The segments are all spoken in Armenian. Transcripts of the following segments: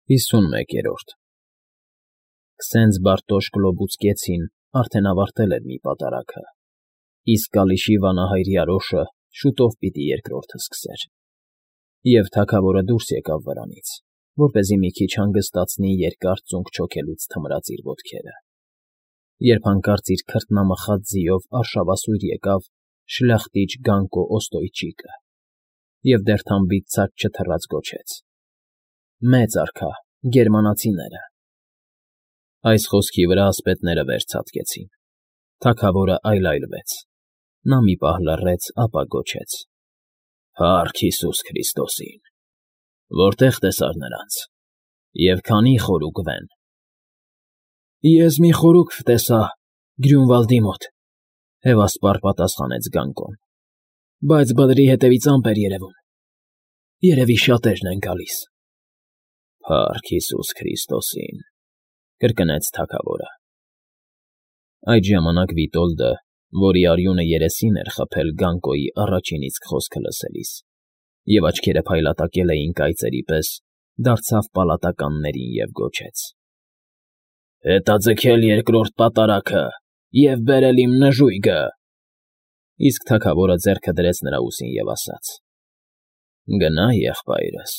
51-րդ Քսենց Բարտոշ Գլոբուցկեցին արդեն ավարտել էր մի պատարագը, իսկ Կալիշի վանահայր Երոշը շուտով պիտի երկրորդը սկսեր, և թագավորը դուրս եկավ վրանից, որպեսզի մի քիչ հանգստացնի երկար ծունկ չոքելուց թմրած իր ոտքերը, երբ հանկարծ իր քրտնամխած ձիով արշավասույր եկավ շլախտիչ Գանկո Օստոյչիկը և դեռ թամբից ցած չթռած գոչեց. «Մեծ արքա, գերմանացիները»։ Այս խոսքի վրա ասպետները վեր ցատկեցին, թագավորը այլայլվեց, նա մի պահ լռեց, ապա գոչեց. «Փա՜ռք Հիսուս Քրիստոսին, որտե՞ղ տեսար նրանց, և քանի՞ խորուկ վեն»։ «Ես մի խորուկ տեսա Գրյունվալդի մոտ,֊ հևասպառ պատասխանեց Գանկոն,֊ բայց բլրի ետևից ամպ էր երևում, երևի շատերն են գալիս»։ «Փա՜ռք Հիսուս Քրիստոսին», կրկնեց թագավորը։ Այդ ժամանակ Վիտոլդը, որի արյունը երեսին էր խփել Գանկոյի առաջին իսկ խոսքը լսելիս, և աչքերը փայլատակել էին կայծերի պես, դարձավ պալատականներին և գոչեց. «Հետաձգել երկրորդ պատարագը և բերել իմ նժույգը»։ Իսկ թագավորը ձեռքը դրեց նրա ուսին և ասաց. «Գնա, եղբայրս,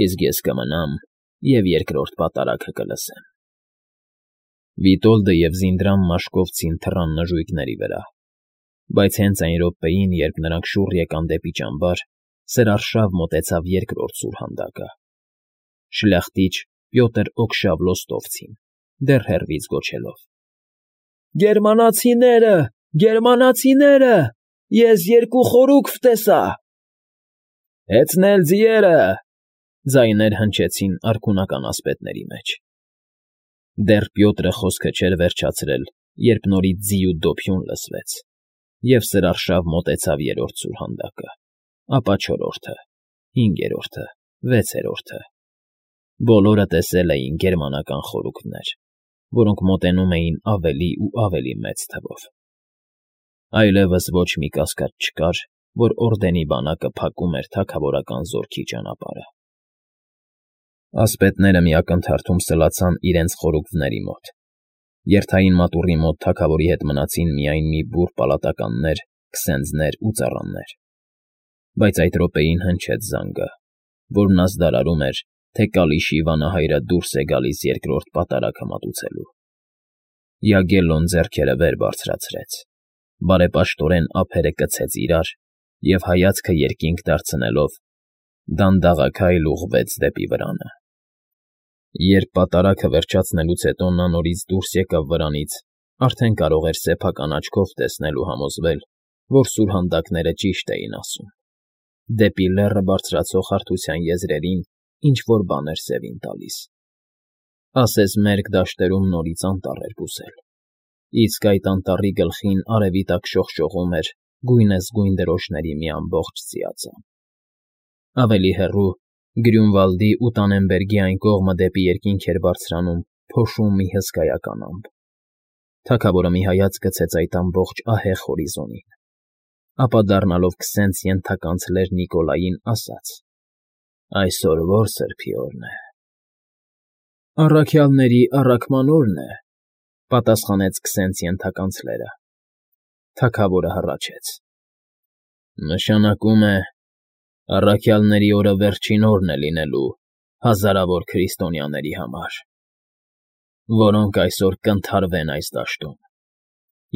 իսկ ես կմնամ և երկրորդ պատարագը կլսեմ»։ Վիտոլդը և Զինդրան Մաշկովցին թռան նժույգների վրա, բայց հենց այն րոպեին, երբ նրանք շուռ եկան դեպի ճամբար, սրարշավ մոտեցավ երկրորդ սուրհանդակը։ Շլախտիչ Պյոտր Օքշավլոստովցին, դեռ հեռվից գոչելով. «Գերմանացիները, գերմանացիները, ես երկու խորուկ վտեսա»։ «Հեծնել ձիերը», ձայներ հնչեցին արքունական ասպետների մեջ։ Դեռ Պյոտրը խոսքը չէր վերջացրել, երբ նորից ձի ու դոփյուն լսվեց, և սրարշավ մոտեցավ երրորդ սուրհանդակը, ապա չորրորդը, հինգերորդը, վեցերորդը։ Բոլորը տեսել էին գերմանական խորուկներ, որոնք մոտենում էին ավելի ու ավելի մեծ թվով։ Այլևս ոչ մի կասկած չկար, որ օրդենի բանակը փակում էր թագավորական զորքի ճանապարհը։ Ասպետները մի ակնթարթում սլացան իրենց խորուկների մոտ։ Երթային մատուռի մոտ թագավորի հետ մնացին միայն մի բուռ պալատականներ, քսենձներ ու ծառաներ։ Բայց այդ րոպեին հնչեց զանգը, որն ազդարարում էր, թե Կալիշի վանահայրը դուրս է գալիս երկրորդ պատարագը մատուցելու։ Յագելլոն ձեռքերը վեր բարձրացրեց, բարեպաշտորեն ափերը կցեց իրար և հայացքը երկինք դարձնելով դանդաղաքայլ ուղղվեց դեպի վրանը։ Երբ պատարագը վերջացնելուց հետո նա նորից դուրս եկավ վրանից, արդեն կարող էր սեփական աչքով տեսնել ու համոզվել, որ սուրհանդակները ճիշտ էին ասում։ Դեպի լեռը բարձրացող հարթության եզրերին ինչ֊որ բան էր սևին տալիս։ Ասես մերկ դաշտերում նորից անտառ էր բուսել, իսկ այդ անտառի գլխին արևի տակ շողշողում էր գույնզգույն դրոշների մի ամբողջ ծիածան։ Ավելի հեռու, Գրյունվալդի ու Տանենբերգի այն կողմը դեպի երկինք էր բարձրանում փոշու մի հսկայական ամպ։ Թագավորը մի հայացք գցեց այդ ամբողջ ահեղ հորիզոնին, ապա դառնալով քսենց ենթականց լեռ Նիկոլային, ասաց. «Այսօր ո՞ր սրբի օրն է»։ «Առաքյալների առաքման օրն է», պատասխանեց քսենց ենթականց լեռը։ Թագավորը հառաչեց. «Նշանակում է, առաքյալների օրը վերջին օրն է լինելու հազարավոր քրիստոնյաների համար, որոնք այսօր կընդհարվեն այս դաշտում»։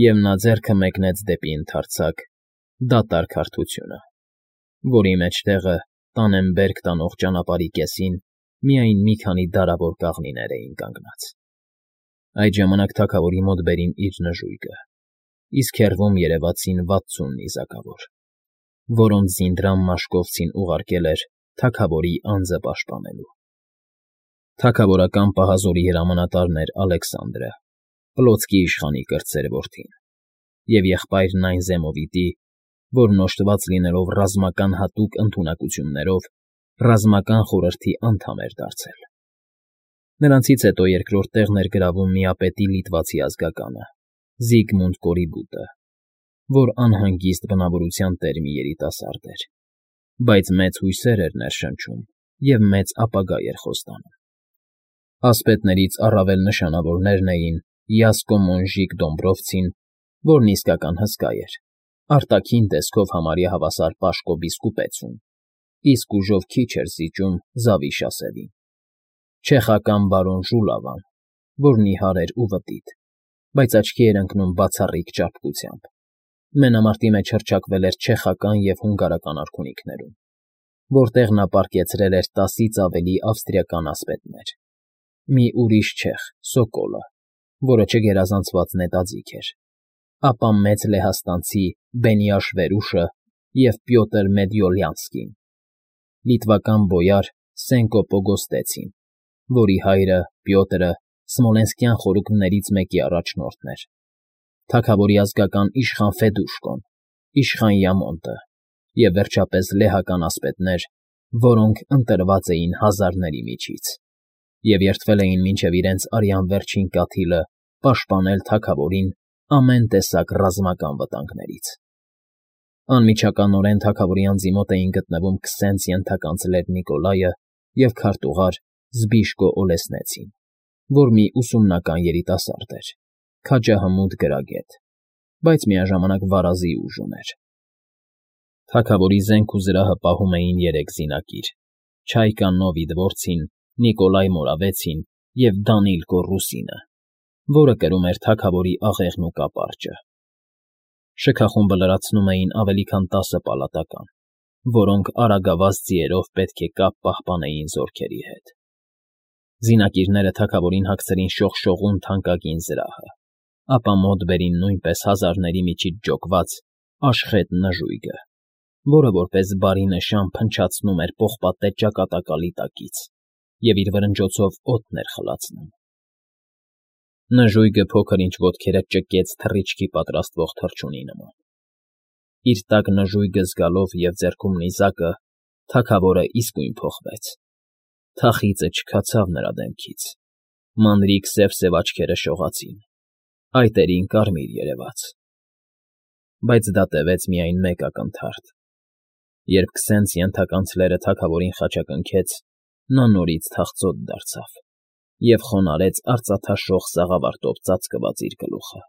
Եվ նա ձեռքը մեկնեց դեպի ընդարձակ, դատարկ հարթությունը, որի մեջտեղը Տանենբերգ տանող ճանապարհի կեսին միայն մի քանի դարավոր կաղնիներ էին կանգնած։ Այդ ժամանակ թագավորի մոտ բերին իր նժույգը, իսկ հեռվում երևացին 60 նիզակավոր, որոնց Զինդրան Մաշկովցին ուղարկել էր թագավորի անձը պաշտպանելու։ Թագավորական պահազորի հրամանատարն էր Ալեքսանդրը, Պլոցկի իշխանի կրտսեր որդին, և եղբայրն այն Զեմովիտի, որն օժտված լինելով ռազմական հատուկ ընդունակություններով, ռազմական խորհրդի անդամ էր դարձել։ Նրանցից հետո երկրորդ տեղն էր գրավում միապետի լիտվացի ազգականը՝ Զիգմունդ Կորիբուտը, որ անհանգիստ բնավորության տեր մի երիտասարդ էր, բայց մեծ հույսեր էր ներշնչում և մեծ ապագա էր խոստանում։ Ասպետներից առավել նշանավորներն էին Յասկո Մոնժիկ Դոմբրովցին, որն իսկական հսկա էր, արտաքին տեսքով համարյա հավասար պաշկոն բիսկուպեցուն, իսկ ուժով քիչ էր զիջում Զավիշ ասեղին, չեխական բարոն Ժուլավան, որ նիհար էր ու վտիտ, բայց աչքի էր ընկնում բացառիկ ճարպկությամբ, մենամարտի մեջ հռչակվել էր չեխական և հունգարական արքունիքներում, որտեղ նա պառկեցրել էր 10-ից ավելի ավստրիական ասպետներ, մի ուրիշ չեխ՝ Սոկոլը, որը չգերազանցված նետաձիգ էր, ապա մեծ լեհաստանցի Բենիաշ Վերուշը և Պյոտր Մեդյոլյանսկին, լիտվական բոյար Սենկո Պոգոստեցին, որի հայրը՝ Պյոտրը, Սմոլենսկյան խորհուրդներից մեկի առաջնորդն էր, թագավորի ազգական իշխան Ֆեդուշկոն, իշխան Յամոնտը և, վերջապես, լեհական ասպետներ, որոնք ընտրված էին հազարների միջից և երդվել էին մինչև իրենց արյան վերջին կաթիլը պաշտպանել թագավորին ամեն տեսակ ռազմական վտանգներից։ Անմիջականորեն թագավորի անձի մոտ էին գտնվում Քսենց ենթականցլեր Նիկոլայը և քարտուղար Զբիշկո Օլեսնեցին, որ մի ուսումնական երիտասարդ էր, քաջահմուտ գրագետ, բայց միաժամանակ վարազի ուժ ուներ։ Թագավորի զենք ու զրահը պահում էին 3 զինակիր՝ Չայկա Նովիդվորցին, Նիկոլայ Մորավեցին և Դանիլ Կոռուսինը, որը կրում էր թագավորի աղեղն ու կապարճը։ Շքախումբը լրացնում էին ավելի քան 10 պալատական, որոնք արագավազ ձիերով պետք է կապ պահպանեին զորքերի հետ։ Զինակիրները թագավորին հագցրին շողշողուն թանկագին զրահը, ապա մոտ բերին նույնպես հազարների միջից ջոկված աշխետ նժույգը, որը որպես բարի նշան փնչացնում էր պողպատե ճակատակալի տակից և իր վրնջոցով օդն էր խլացնում։ Նժույգը փոքր-ինչ ոտքերը ճկեց թռիչքի պատրաստվող թռչունի նման։ Իր տակ նժույգը զգալով և ձեռքում նիզակը, թագավորը իսկույն փոխվեց։ Թախիծը չքացավ նրա դեմքից, մանրիկ սև աչքերը շողացին, այտերին կարմիր երևաց։ Բայց դա տևեց միայն մեկ ակնթարթ։ Երբ Քսենց ենթականցլերը թագավորին խաչակնքեց, նա նորից թախծոտ դարձավ և խոնարհեց արծաթաշող սաղավարտով ծածկված իր գլուխը։